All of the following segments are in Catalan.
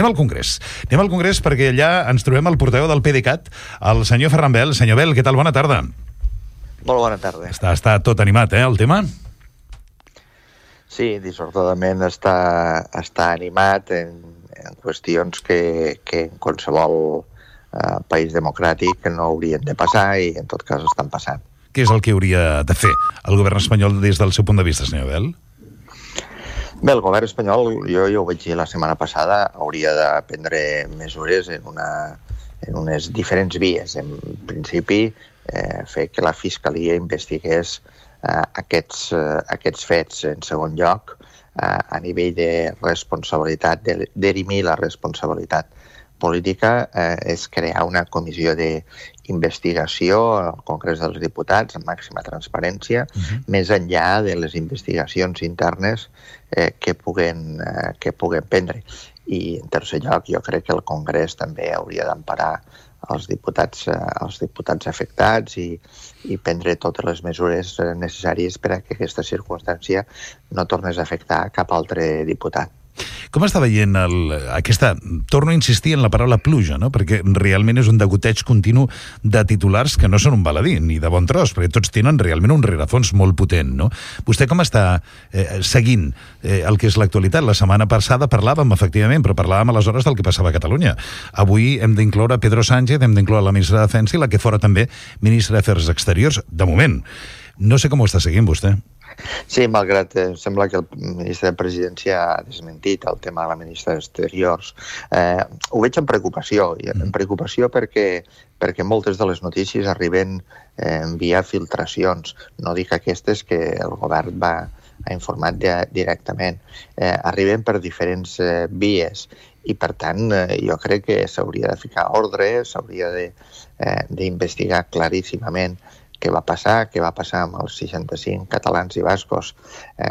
Anem al Congrés perquè allà ens trobem el portaveu del PDeCAT, el senyor Ferran Bel. Senyor Bel, què tal? Bona tarda. Molt bona tarda. Està tot animat, el tema? Sí, dissortadament està animat en qüestions que en qualsevol país democràtic no haurien de passar i en tot cas estan passant. Què és el que hauria de fer el govern espanyol des del seu punt de vista, senyor Bel? Bé, el govern espanyol, jo ho vaig dir la setmana passada, hauria de prendre mesures en unes diferents vies. En principi, fer que la Fiscalia investigués aquests fets. En segon lloc, a nivell de responsabilitat, d'erimir la responsabilitat política, és crear una comissió d'investigació al Congrés dels Diputats amb màxima transparència, més enllà de les investigacions internes que puguen prendre. I, en tercer lloc, jo crec que el Congrés també hauria d'emparar els diputats afectats i prendre totes les mesures necessàries per a que aquesta circumstància no tornés a afectar cap altre diputat. Com està veient torno a insistir en la paraula pluja, no? Perquè realment és un degoteig continu de titulars que no són un baladí, ni de bon tros, perquè tots tenen realment un rerefons molt potent, no? Vostè com està seguint el que és l'actualitat? La setmana passada parlàvem, efectivament, però parlàvem aleshores del que passava a Catalunya. Avui hem d'incloure Pedro Sánchez, hem d'incloure la ministra de Defensa i la que fora també ministra d'Afers Exteriors, de moment. No sé com ho està seguint vostè. Sí, malgrat sembla que el ministre de Presidència ha desmentit el tema de la ministra d'Exteriors. Ho veig amb preocupació, perquè moltes de les notícies arriben via filtracions. No dic aquestes que el govern ha informat directament. Arriben per diferents vies i, per tant, jo crec que s'hauria de ficar ordre, s'hauria d'investigar claríssimament què va passar amb els 65 catalans i bascos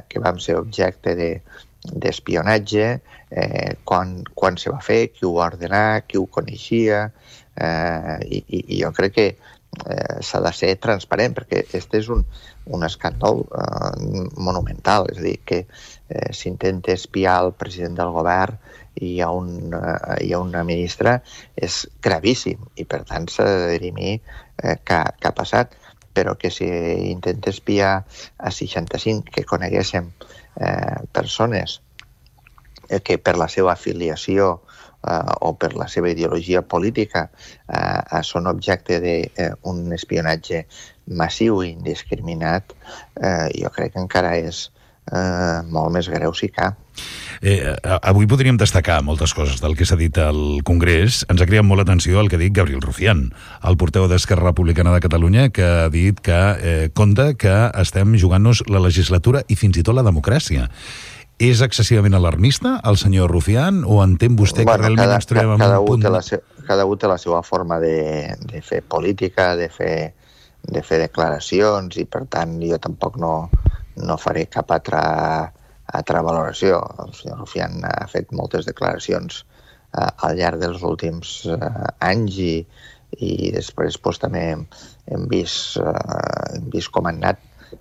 que vam ser objecte d'espionatge, quan se va fer, qui ho va ordenar, qui ho coneixia, i jo crec que s'ha de ser transparent, perquè aquest és un escàndol monumental, és a dir, que s'intenta espiar el president del govern i hi ha una ministra, és gravíssim, i per tant s'ha de dirimir què ha passat, però que si intenta espiar a 65 que coneguéssim persones que per la seva afiliació o per la seva ideologia política són objecte d'un espionatge massiu i indiscriminat, jo crec que encara és molt més greu si cal. Avui podríem destacar moltes coses del que s'ha dit al Congrés. Ens ha cridat molt l'atenció el que ha dit Gabriel Rufián, el portaveu d'Esquerra Republicana de Catalunya, que ha dit que compta que estem jugant-nos la legislatura i fins i tot la democràcia. És excessivament alarmista el senyor Rufián o entén vostè que realment ens trobem en un punt... Cada un té la seva forma de fer política, de fer declaracions, i per tant jo tampoc no faré cap altra valoració. El senyor Rufián ha fet moltes declaracions al llarg dels últims anys i després també hem vist com han anat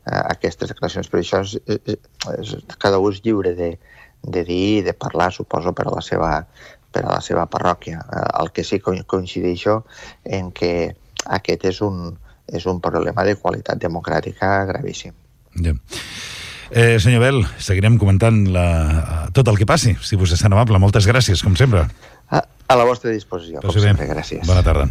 aquestes declaracions. Per això cada un és lliure de dir i de parlar, suposo, per a la seva parròquia. El que sí que coincideixo en que aquest és un problema de qualitat democràtica gravíssim. Ja. Senyor Bel, seguirem comentant tot el que passi, si vostè és tan amable. Moltes gràcies, com sempre. A la vostra disposició, com sempre. Gràcies. Bona tarda.